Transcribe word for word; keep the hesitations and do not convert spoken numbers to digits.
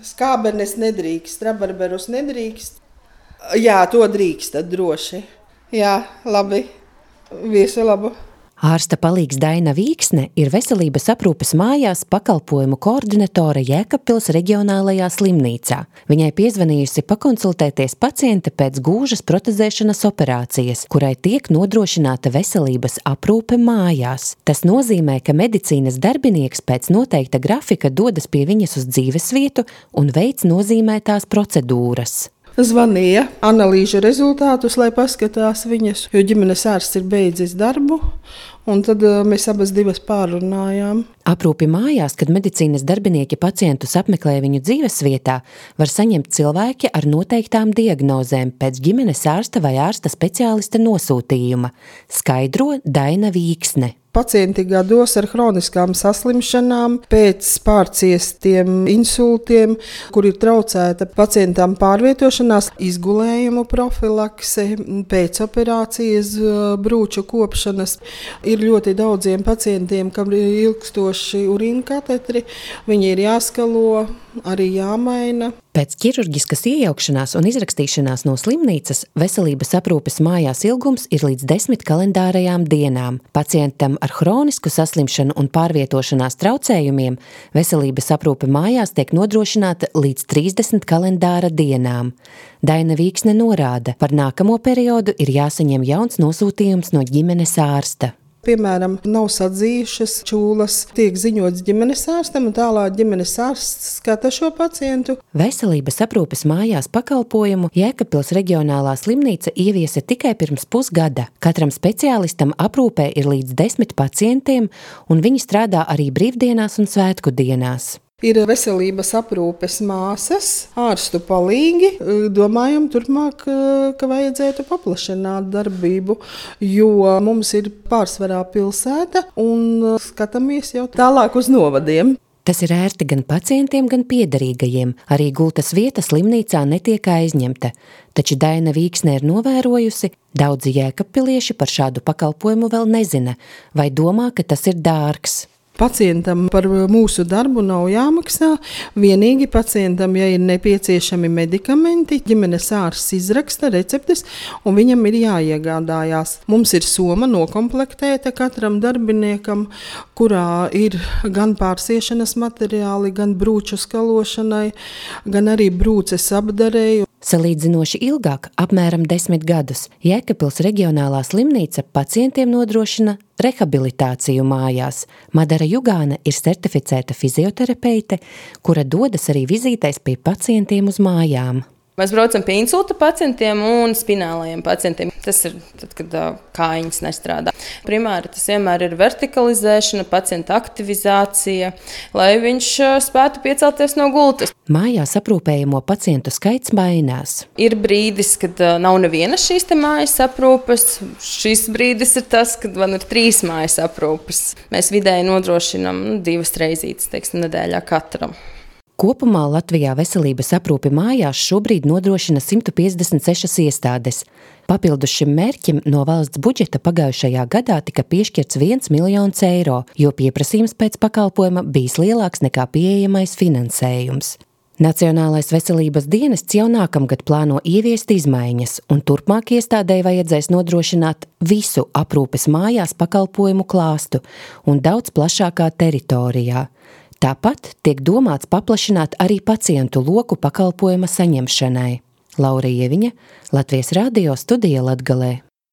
Skābenes nedrīkst, rabarberus nedrīkst. Jā, to drīkst, tad droši. Jā, labi. Visu labu. Ārsta palīgs Daina Vīksne ir veselības aprūpes mājās pakalpojumu koordinatore Jēkabpils reģionālajā slimnīcā. Viņai piezvanījusi pakonsultēties paciente pēc gūžas protezēšanas operācijas, kurai tiek nodrošināta veselības aprūpe mājās. Tas nozīmē, ka medicīnas darbinieks pēc noteikta grafika dodas pie viņas uz dzīvesvietu un veic nozīmētās procedūras. Zvanīja analīžu rezultātus, lai paskatās viņas, jo ģimenes ārsts ir beidzis darbu, un tad mēs abas divas pārunājām. Aprūpi mājās, kad medicīnas darbinieki pacientus apmeklē viņu dzīvesvietā, var saņemt cilvēki ar noteiktām diagnozēm pēc ģimenes ārsta vai ārsta speciālista nosūtījuma, skaidro Daina Vīksne. Pacienti gados ar hroniskām saslimšanām, pēc pārciestiem insultiem, kur ir traucēta pacientam pārvietošanās, izgulējumu profilakse, pēcoperācijas brūču kopšanas. Ir ļoti daudziem pacientiem, kam ir ilgstoši urīnkatetri, viņi ir jāskalo, arī jāmaina. Pēc ķirurģiskas iejaukšanās un izrakstīšanās no slimnīcas veselības aprūpes mājās ilgums ir līdz desmit kalendārajām dienām. Pacientam ar hronisku saslimšanu un pārvietošanās traucējumiem veselības aprūpe mājās tiek nodrošināta līdz trīsdesmit kalendāra dienām. Daina Vīksne norāda, par nākamo periodu ir jāsaņem jauns nosūtījums no ģimenes ārsta. Piemēram, nav sadzījušas čūlas, tiek ziņots ģimenes ārstam, un tālāk ģimenes ārsts skata šo pacientu. Veselības aprūpes mājās pakalpojumu Jēkabpils reģionālā slimnīca ieviesa tikai pirms pusgada. Katram speciālistam aprūpē ir līdz desmit pacientiem, un viņi strādā arī brīvdienās un svētku dienās. Ir veselības aprūpes māsas, ārstu palīgi. Domājam turpmāk, ka vajadzētu paplašināt darbību, jo mums ir pārsvarā pilsēta un skatāmies jau tālāk uz novadiem. Tas ir ērti gan pacientiem, gan piederīgajiem. Arī gultas vieta slimnīcā netiek aizņemta. Taču Daina Vīksne ir novērojusi, daudzi jēkabpilieši par šādu pakalpojumu vēl nezina vai domā, ka tas ir dārgs. Pacientam par mūsu darbu nav jāmaksā, vienīgi pacientam, ja ir nepieciešami medikamenti, ģimenes ārsts izraksta receptes un viņam ir jāiegādājās. Mums ir soma nokomplektēta katram darbiniekam, kurā ir gan pārsiešanas materiāli, gan brūču skalošanai, gan arī brūces apdarei. Salīdzinoši ilgāk, apmēram desmit gadus, Jēkabpils reģionālā slimnīca pacientiem nodrošina rehabilitāciju mājās. Madara Jugāne ir certificēta fizioterapeite, kura dodas arī vizītēs pie pacientiem uz mājām. Mēs braucam pie insulta pacientiem un spinālajiem pacientiem. Tas ir tad, kad uh, kājiņas nestrādā. Primāri tas vienmēr ir vertikalizēšana, pacienta aktivizācija, lai viņš uh, spētu piecelties no gultas. Mājās aprūpējamo pacientu skaits mainās. Ir brīdis, kad uh, nav neviena šīs te mājas aprūpes. Šis brīdis ir tas, kad man ir trīs mājas aprūpes. Mēs vidēji nodrošinam nu, divas reizītes, teiksim, nedēļā katram. Kopumā Latvijā veselības aprūpi mājās šobrīd nodrošina simt piecdesmit sešas iestādes. Papildus šim mērķim no valsts budžeta pagājušajā gadā tika piešķirts viens miljons eiro, jo pieprasījums pēc pakalpojuma bijis lielāks nekā pieejamais finansējums. Nacionālais veselības dienests jau nākamgad plāno ieviest izmaiņas, un turpmāk iestādēji vajadzēs nodrošināt visu aprūpes mājās pakalpojumu klāstu un daudz plašākā teritorijā. Tāpat tiek domāts paplašināt arī pacientu loku pakalpojuma saņemšanai. Laura Ieviņa, Latvijas radio studija Latgalē.